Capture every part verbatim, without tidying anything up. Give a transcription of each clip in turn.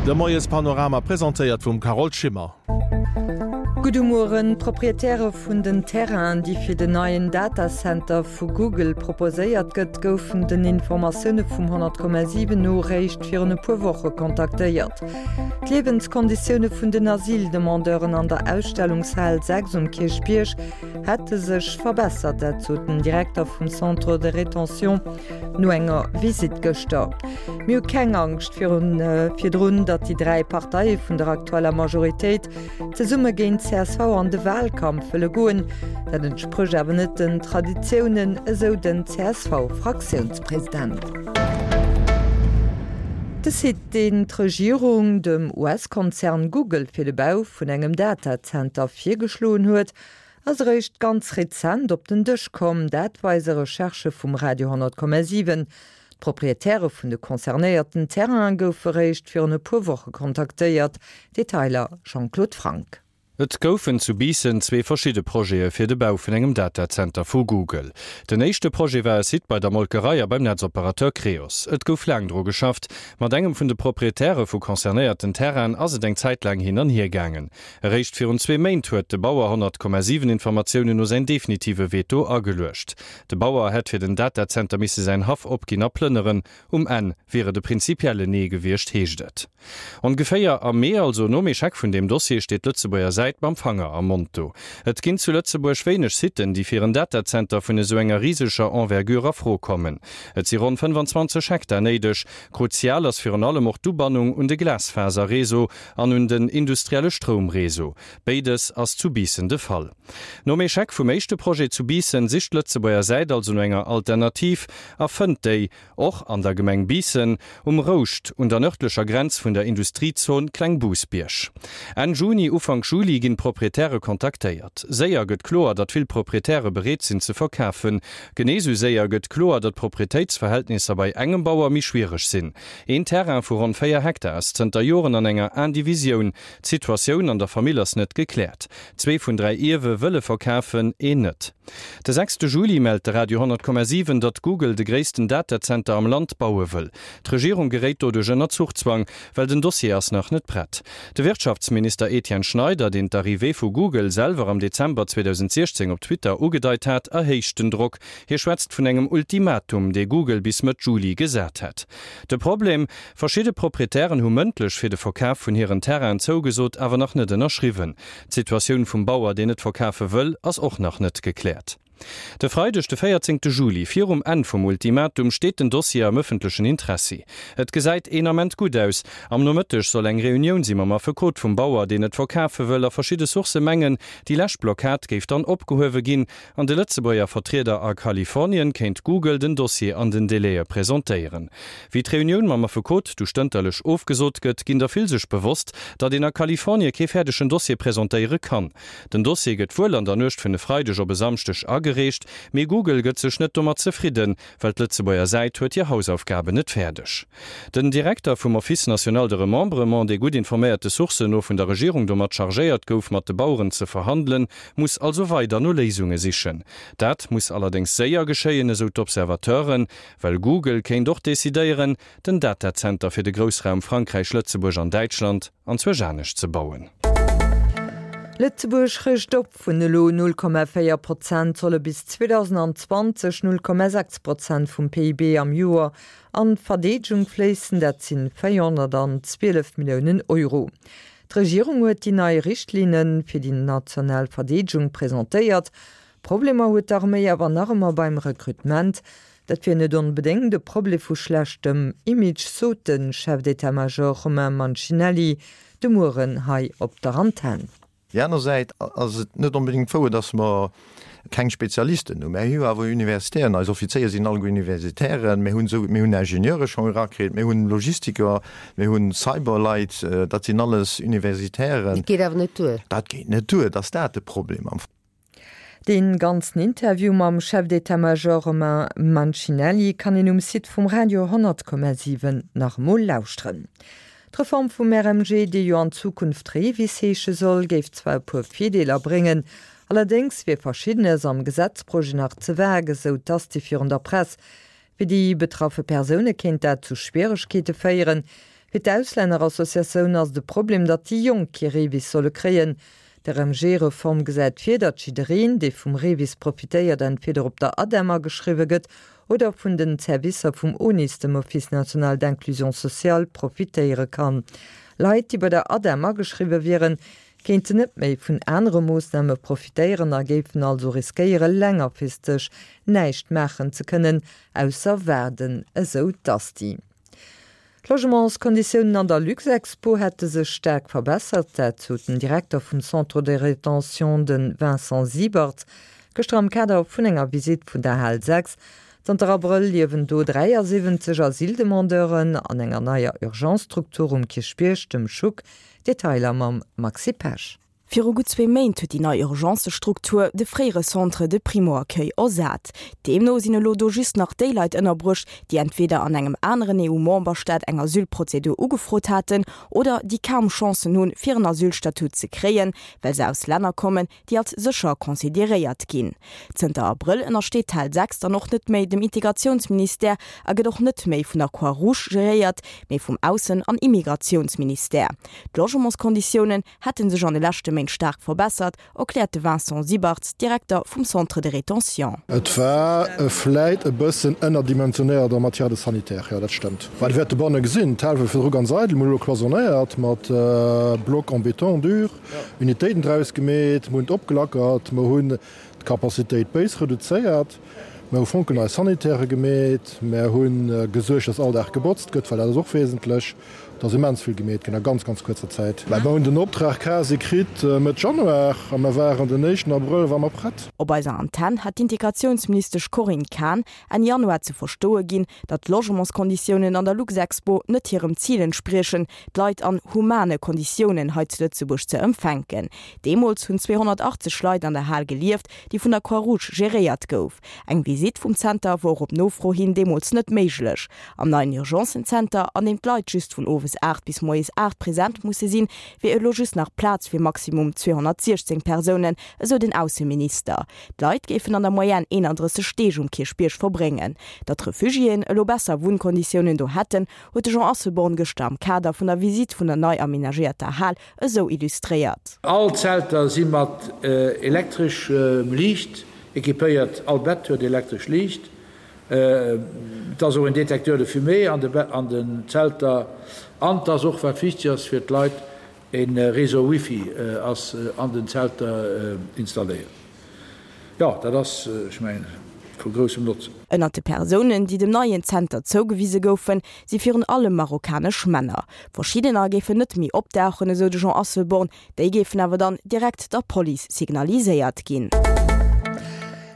De Moiespanorama presentéiert vum Carole Schimmer. Gudde Mueren. D'Proprietäre vun den Terrainen, déi fir den neien Datacenter vu Google proposéiert gëtt, goufen den Informatioune vum honnert Komma siwen no réischt virun e puer Woche kontaktéiert. D'Liewenskonditioune vun den Asyldemandeuren an der Ausstellungshal sechs um Kierchbierg hätte sech verbessert, dat sot den Direkter vum Centre de rétention no enger Visitt gëschter. Mir hu keng Angscht virun virdrun, datt déi dräi Parteie vun der aktueller Majoritéit zesumme géint csv an de Wahlkampf wëlle goen. Dat entsprécht awer net den Traditiounen, esou den C S V-Fraktiounspresident. De Site, deen d'Regierung dem U S-Konzern Google fir de Bau vun engem Datazenter virgeschloen huet, ass eréischt ganz rezent op den Dësch komm. Dat weise Recherchë vum Radio honnert Komma siwen. D'Proprietäre vun de concernéierten Terraine goufe réischt virun e puer Woche kontaktéiert. Detailer Jean-Claude Franck. Et goufen zu Biissen zwee verschidde Projete fir de Bau vun engem Datazenter vu Google. Den éischte Projet war e Site bei der Molkerei a beim Netzoperateur Creos. Et gouf laang dru geschafft. Mat engem vun de Proprietäre vu concernéierten Terrainen ass et eng Zäit laang hin an hier gaangen. Eréischt virun zwee Méint huet de Bauer honnert Komma siwen Informatiounen no säin definitive Veto ageluecht. De Bauer hätt fir den Datazenter misse säin Haff opginn a plënneren. Um Enn wier et e prinzipiellen Nee gewiescht, heescht et. Ongeféier am Mee, also nom Echec vun deem Dossier, steet d'Lëtzebuerger Säit mam Fanger am Mond do. Et ginn zu Lëtzebuerg wéineg Siten, déi fir en Datazenter vun esou enger riseger Envergure a Fro kommen. Et si ronn fënnefanzwanzeg Hektar néideg. Kruzial ass virun allem och d'Ubannung un de Glasfaserreseau an un den industrielle Stroumreseau. Béides ass zu Biissen de Fall. Nom Echec vum éischte Projet zu Biissen sicht d'Lëtzebuerger Säit also no enger Alternativ a fënnt déi och an der Gemeng Biissen, um Rouscht, un der nërdlecher Grenz vun der Industriezon Klengbousbierg. Enn Juni, Ufank Juli ginn d'Proprietäre kontaktéiert. Séier gëtt kloer, datt vill Proprietäre bereet sinn ze verkafen. Genee sou séier gëtt kloer, datt d'Proprietéitsverhältnisser bei engem Bauer méi schwiereg sinn. Een Terrain vu ronn véier Hektar ass zënter Joren an enger Indivisioun. D'Situatioun an der Famill ass net gekläert. Zwee vun dräi Ierwe wëlle verkafen, een net. De sechste Juli mellt de Radio honnert Komma siwen, datt Google de gréissten Datazenter am Land baue wëll. D'Regierung geréit doduerch ënner Zuchzwang, well den Dossier ass nach net prett. De Wirtschaftsminister Etienne Schneider, deen d'Arrivée vu Google selwer am Dezember zweedausendsiechzéng op Twitter ugedeit hat, erhéicht den Drock. Hie schwätzt vun engem Ultimatum, dee Google bis Mëtt Juli gesat hätt. De Problem, Verschidde Proprietären hu mëndlech fir de Verkaf vun hiren Terrainen zougesot, awer nach net ënnerschriwwen. D'Situatioun vum Bauer, deen net verkafe wëll, ass och nach net gekläert. De Freideg, de véierzéngte Juli, virum Enn vum Ultimatum, steet den Dossier am ëffentlechen Interessi. Et gesäit een Ament gutt aus. Am Nomëtteg soll eng Reunioun si mam Affekot vum Bauer, deen et verkafe wëll, a verschidde Sourcë mengen, déi lescht Blockad géif dann opgehuewe ginn an de Lëtzebuerger Vertrieder a Kalifornien kéint Google den Dossier an den Delaie presentéieren. Wéi d'Reunioun mam Affekot du stënterlech ofgesot gëtt, ginn der vill sech bewosst, datt een a Kalifornie kee fäerdegen Dossier presentéiere kann. Den Dossier gëtt wuel an der Nuecht vun e Freideg op e Samschdeg agereecht, mee Google gëtt sech net domat zefridden, well d'Lëtzebuerger Säit huet hir Hausaufgaben net fäerdeg. Den Direkter vum Office national de remembrement, dee gutt informéierte Sourcen no vun der Regierung domat chargéiert gouf, mat de Baueren ze verhandelen, muss also weider no Léisunge sichen. Dat muss allerdéngs séier geschéien, esou d'Observateuren, well Google kéint och decidéieren, den Datazenter fir de Groussraum Frankräich, Lëtzebuerg an Däitschland anzwousch anescht ze bauen. Lëtzebuerg rëscht op, Vun elo null Komma véier Prozent solle bis zweedausendzwanzeg null Komma sechs Prozent vum P I B am Joer an d'Verdeedegung fléissen, dat sinn véierhonnertzwielef Milliounen Euro. D'Regierung huet déi nei Richtlinne fir déi national Verdeedegung presentéiert. Problemer huet d'Arméi awer nach ëmmer beim Rekrutement. Dat wier net onbedéngt e Problem vu schlechtem Image, sot de Chef d'état-major Romain Mancinelli de Mueren hei op der Antenn. Déi aner Säit ass et net onbedéngt wouer, datt mer keng Spezialisten hunn. Mir hu awer Universitären, eis Offizéier sinn alleguer Universitären, mir hunn esou, mir hunn Ingenieure schonn erakritt, mir hunn Logistiker, mir hunn Cyberleit, dat sinn alles Universitären. Dat geet awer net duer. Dat geet net duer, et ass dat de Problem am. Dee ganzen Interview mam Chef d'état-major Romain Mancinelli kann een um Site vum Radio honnert Komma siwen nach emol lauschteren. D'Reform vum R M G, déi jo an Zukunft REVIS heesche soll, géif zwar e puer Virdeeler bréngen, allerdéngs wier Verschiddenes am Gesetzprojet nach ze vague, esou d'Asti virun der Press. Fir déi betraffe Persoune kéint dat zu Schwieregkeete féieren. Fir d'Auslännerassociatioun ass de Problem, datt déi Jonk kee REVIS solle kréien. D'RMG-Reform gesäit vir, datt jiddereen, dee vum REVIS profitéiert, entweder op der ADEM ageschriwwe gëtt oder vun den Servicer vum ONIS, dem Office national d'inclusion sociale, profitéiere kann. Leit, déi bei der ADEM ageschriwwe wieren, kéinten net méi vun anere Moossname profitéieren a géifen also riskéiere längerfristeg näischt maachen ze kënnen, ausser waarden, esou d'Asti. D'Logementskonditiounen an der Luxexpo hätte sech staark verbessert, dat sot den Direkter vum Centre de rétention, de Vincent Siebert, gëschter am Kader vun enger Visitt vun der Hal sechs. Zanter Abrëll liewen do dräiasiwwenzeg Asyldemandeuren an enger neier Urgence-Struktur um Kierchbierg, dem Schuck. Detailer mam Maxi Pesch. Viru gutt zwee Méint huet déi nei Urgencestruktur de fréiere Centre de primo-accueil ersat. Deemno sinn elo do just nach déi Leit ënnerbruecht, déi entweder an engem aneren E U-Memberstaat eng Asylprozedur ugefrot haten oder déi kaum Chancen hunn, fir en Asylstatut ze kréien, well se aus Länner kommen, déi als sécher consideréiert ginn. Zënter Abrëll ënnersteet d'Hal sechs dann och net méi dem Integratiounsministère a gëtt och net méi vun der Croix-Rouge geréiert, mee vum Aussen an Immigratiounsministère. D'Logementskonditiounen hätte sech an de leschte Méint staark verbessert, erkläert de Vincent Siebarts, Direkter vum Centre de rétention. Et war vläit e bëssen ënnerdimensionéiert en matière de sanitaire, jo dat stëmmt. Well Dir wäert dobanne gesinn, d'Hal war virdru ganz eidel, mir hu elo cloisonnéiert mat Blocs en béton dur, Unitéiten draus gemeet, mir hunn et opgelackert, mir hunn d'Capacitéit béis reduzéiert, mir hu fonkelnei Sanitairë gemeet, mir hu gesuergt, dass all Dag gebotzt gëtt, well dat ass och wesentlech. Et ass immens vill gemeet ginn a ganz, ganz kuerzer Zäit. Mä mer hunn den Optrag quasi kritt Mëtt Januar a mer waren den éischten Abrëll ware mer prett. Op eiser Antenn hat d'Integratiounsministesch Corinne Cahen Enn Januar ze verstoe ginn, datt d'Logementskonditiounen an der Luxexpo net hirem Zil entspriechen, d'Leit an humane Konditiounen hei zu Lëtzebuerg ze empfänken. Deemools hunn zweehonnertachtzeg Leit an der Hal gelieft, déi vun der Croix-Rouge geréiert gouf. Eng Visitt vum Zenter wor op Nofro hin deemools net méiglech. Am neien Urgencen-Zenter, an deem d'Leit just vun owes aacht bis moies aacht present musse sinn, wier elo just nach Plaz fir maximum zweehonnertsiechzéng Persounen, esou den Ausseminister. D'Leit géifen an der Moyenne eenandrësseg Deeg um Kierchbierg verbréngen. Datt d'Refugiéen elo besser Wunnkonditiounen do hätten, huet de Jean Asselborn gëschter am Kader vun der Visitt vun der nei amenagéierter Hal esou illustréiert. All d'Zelter si mat elektreschem Liicht equipéiert, all Bett huet elektresch Liicht. Et ass och en Détecteur de fumée an den Zelter an et ass och, wat wichteg ass fir d'Leit, e Réseau Wifi ass an den Zelter installéiert. Jo, dat ass, ech mengen, vu groussem Notzen. Ënnert de Persounen, déi dem neien Zenter zougewise goufen, si virun allem marokkanesch Männer. Verschiddener géifen net méi opdauchen, esou de Jean Asselborn, déi géifen awer dann direkt der Police signaliséiert ginn.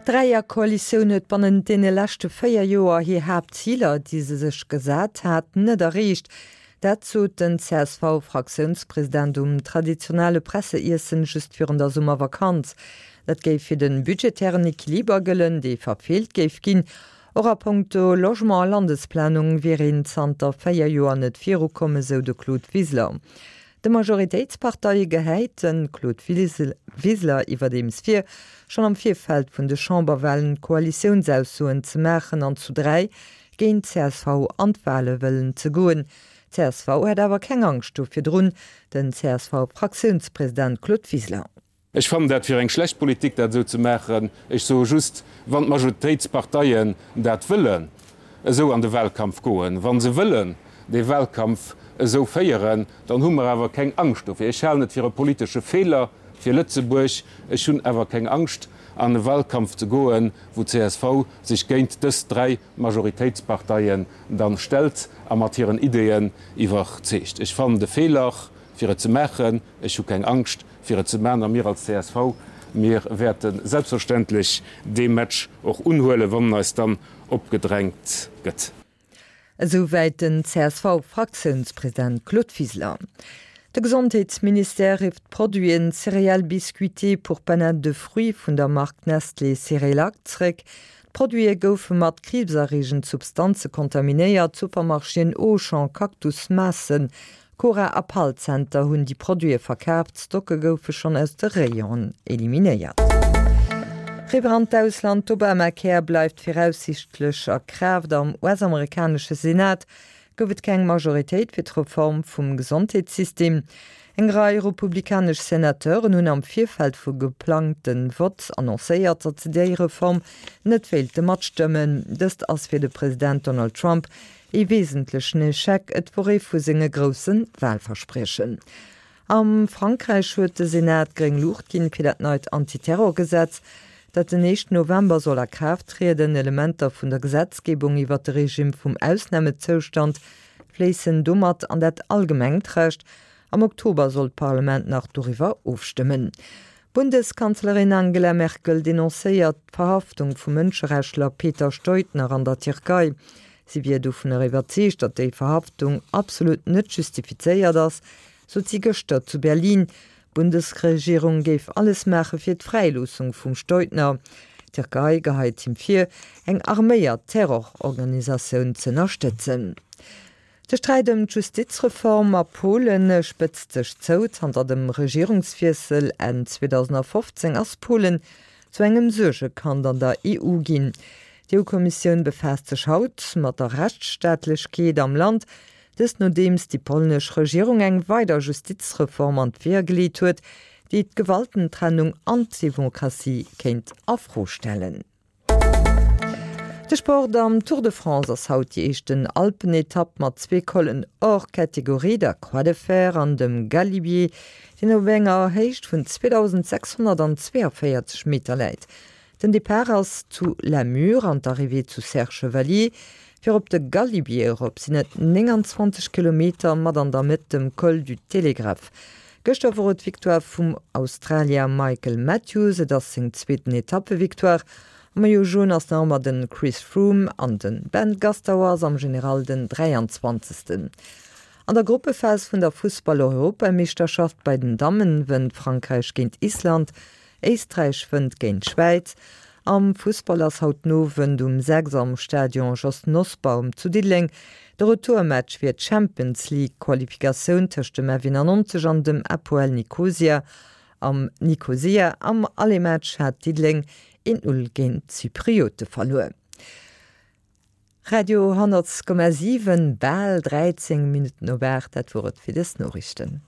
D'Dräierkoalitioun huet bannent deene leschte véier Joer hir Haaptziler, déi se sech gesat hat, net erreecht. Dat sot den C S V-Fraktiounspresident um traditionelle Presseiessen just virun der Summervakanz. Dat géif fir de budgetären Equiliber gëllen, dee verfeelt géif ginn. Och a Punkto Logement a Landesplanung wier een zanter véier Joer net virukomm, esou de Claude Wiseler. De Majoritéitsparteie gehäit de Claude Wiseler iwwerdeems vir, schonn am Virfeld vun de Chamberwalen Koalitiounsaussoen ze maachen an zu dräi géint csv an d'Wale wëllen ze goen. Csv hätt awer keng Angscht do virdrun, den C S V-Fraktiounspresident Claude Wiseler. Ech fannen dat fir eng schlecht Politik, dat esou ze maachen. Ech soe just, wann d'Majoritéitsparteien dat wëllen esou an de Wahlkampf goen, wa se wëllen dee Wahlkampf esou féieren, dann hu mer awer keng Angscht dofir. Ech halen et fir e politesche Feeler fir Lëtzebuerg. Ech hunn awer keng Angscht, an e Wahlkampf ze goen, wou csv sech géint dës dräi Majoritéitsparteien dann stellt a mat hiren Ideeën iwwerzeegt. Ech fannen de Feeler, fir et ze maachen. Ech hu keng Angscht, fir et ze maachen. A mir als csv, mir wäerte selbstverständlech dee Match och unhuelen, wann en eis dann opgedrängt gëtt. Esouwäit den C S V-Fraktiounspresident Claude Wiseler. De Gesondheetsministère rifft d'Produiten Céréales biscuitées pour panade de fruits vun der Mark Nestlé Cérélac zréck. D'Produite goufe mat kriibserreegend Substanze kontaminéiert. D'Supermarchéen Auchan, Cactus, Maassen, Cora a Pall Center hunn déi Produite verkaaft. D'Stocke goufe schonn aus de Rayonen eliminéiert. Riwwer an d'Ausland, D'Obamacare bleift viraussiichtlech a Kraaft. Am U S-amerikanesche Senat gouf et keng Majoritéit fir d'Reform vum Gesondheetssystem. Eng Rei republikanesch Senateuren hunn am Virfeld vum geplangte Vott annoncéiert, datt se déi Reform net wéilte matstëmmen. Dëst ass fir de President Donald Trump ee wesentlechen Echec, et wor ee vu senge grousse Walverspriechen. Am Frankräich huet de Senat gréng Luucht ginn fir dat neit Antiterrorgesetz, dat den éischten November soll a Kraaft trieden. Elementer vun der Gesetzgebung iwwert de Regime vum Ausnamezoustand fléissen domat an dat allgemengt Recht. Am Oktober soll d'Parlament nach doriwwer ofstëmmen. D'Bundeskanzlerin Angela Merkel denoncéiert d'Verhaftung vum Mënscherechtler Peter Steudner an der Tierkei. Si wier dovunner iwwerzeegt, datt déi Verhaftung absolut net justifizéiert ass, sot si gëschter zu Berlin. D'Bundesregierung géif alles maache fir d'Fräiloossung vum Steudner. D'Tierkei geheit him vir, eng arméiert Terrororganisatioun z'ënnerstëtzen. De Sträit ëm d'Justizreform a Polen spëtzt sech zou. Zanter dem Regierungswiessel Enn zweedausendfofzéng ass Polen zu engem Suergekand an der E U ginn. D'E U-Kommissioun befaasst sech haut mat der Rechtsstaatlechkeet am Land, dëst nodeems déi polnesch Regierung eng weider Justizreform an d'Weeër geleet huet, déi d'Gewaltentrennung an d'Demokratie kéint a Fro stellen. De Sport, Am Tour de France ass haut déi éischten Alpenetapp mat zwee Collen hors catégorie, der Croix de Fer an dem Galibier, deen op enger Héicht vun zweedausendsechshonnertzweeënvéierzeg Meter läit. Den Depart ass zu La Mure an d'Arrivée zu Serre-Chevalier. Fir op de Galibier erop sinn et nénganzwanzeg Kilometer mat an der Mëtt dem Col du Télégraphe. Gëschter wor et d'Victoire vum Australier Michael Matthews, et ass seng zweeten Etappevictoire. Am Maillot Jaune ass nach ëmmer de Chris Froome an de Ben Gastauer ass am General den dräianzwanzegsten. An der Gruppephas vun der Fussball-Europameeschterschaft bei den Dammen wënnt Frankräich géint Island, Éisträich wënnt géint d'Schwäiz. Am Fussball ass haut den Owend um sechs am Stadion Jos Nosbaum zu Diddeleng de Retourmatch fir d'Champions League Qualifikatioun tëscht dem F eenannonzeg an dem Apoel Nikosia am Nikosia. Am Aller-Match hat Diddeleng een Null géint d'Zypriote verluer. Radio honnertkomma siwen, bal dräizéng Minutten op aacht, dat wor et fir dës Noriichten.